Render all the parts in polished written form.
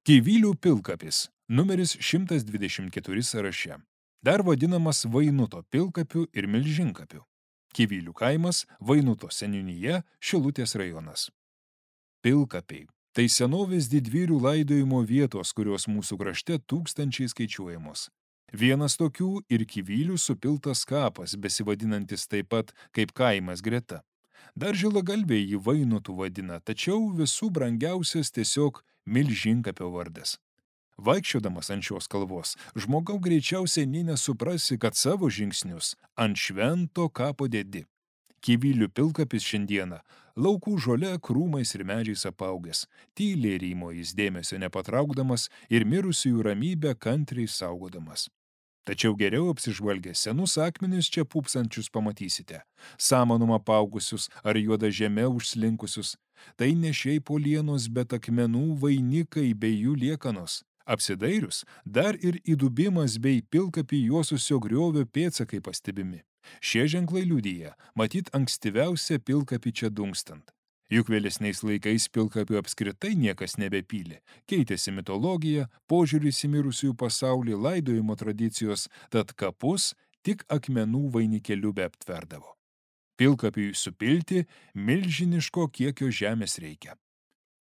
Kyvylių pilkapis, numeris 124 sąraše. Dar vadinamas Vainuto pilkapiu ir Milžinkapiu. Kyvylių kaimas, Vainuto seniūnija, Šilutės rajonas. Pilkapiai – tai senovės didvyrių laidojimo vietos, kurios mūsų krašte tūkstančiai skaičiuojamos. Vienas tokių ir Kyvylių supiltas kapas, besivadinantis taip pat kaip kaimas greta. Dar žilagalviai jį Vainutu vadina, tačiau visų brangiausias tiesiog Milžinkapio vardas. Vaikščiodamas ant šios kalvos, žmogau greičiausiai nė nesuprasi, kad savo žingsnius ant švento kapo dedi. Kyvylių pilkapis šiandieną laukų žole, krūmais ir medžiais apaugęs, tyliai rymo jis dėmesio nepatraukdamas ir mirusiųjų ramybę kantriai saugodamas. Tačiau geriau apsižvalgę senus akmenis čia pūpsančius pamatysite, samanum apaugusius ar juoda žeme užslinkusius. Tai ne šiaip uolienos, bet akmenų vainikai bei jų liekanos. Apsidairius, dar ir įdubimas bei pilkapį juosusio griovio pėdsakai pastebimi. Šie ženklai liudija, matyt ankstyviausia pilkapį čia dungstant. Juk vėlesniais laikais pilkapių apskritai niekas nebepylė. Keitėsi mitologija, požiūris į mirusiųjų pasaulį, laidojimo tradicijos, tad kapus tik akmenų vainikėliu beaptverdavo. Pilkapiui supilti milžiniško kiekio žemės reikia.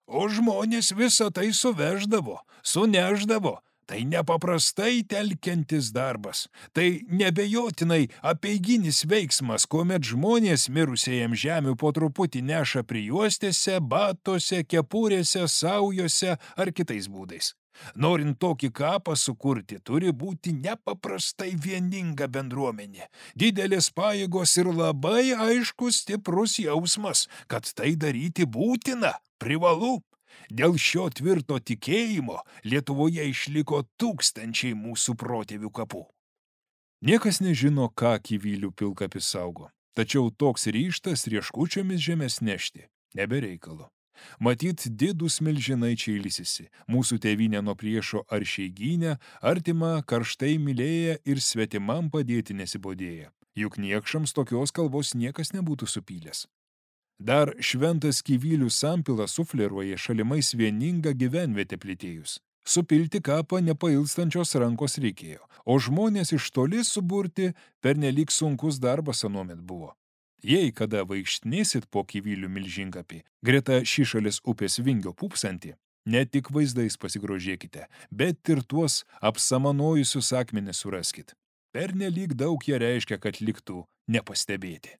O žmonės visą tai suveždavo, suneždavo. Tai nepaprastai telkiantis darbas. Tai nebejotinai apeiginis veiksmas, kuomet žmonės mirusiajam žemių po truputį neša prijuostėse, batuose, kepurėse, saujose ar kitais būdais. Norint tokį kapą sukurti, turi būti nepaprastai vieninga bendruomenė, didelės pajėgos ir labai aiškus stiprus jausmas, kad tai daryti būtina, privalu. Dėl šio tvirto tikėjimo Lietuvoje išliko tūkstančiai mūsų protėvių kapų. Niekas nežino, ką Kyvylių pilkapis saugo, tačiau toks ryžtas rieškučiomis žemės nešti nebereikalo. Matyt, didūs milžinai čia ilsisi, mūsų tėvynę nuo priešo aršiai gynę, artimą karštai mylėję ir svetimam padėti nesibodėję. Juk niekšams tokios kalbos niekas nebūtų supylęs. Dar šventas Kyvylių sampilas sufleruoja šalimais vieningą gyvenvietę plėtėjus. Supilti kapą nepailstančios rankos reikėjo, o žmonės iš toli suburti pernelyg sunkus darbas anuomet buvo. Jei kada vaikštinėsit po Kyvylių Milžinkapį, greta Šišalės upės vingio pūpsantį, ne tik vaizdais pasigrožėkite, bet ir tuos apsamanojusius akmenis suraskit. Pernelyg daug jie reiškia, kad liktų nepastebėti.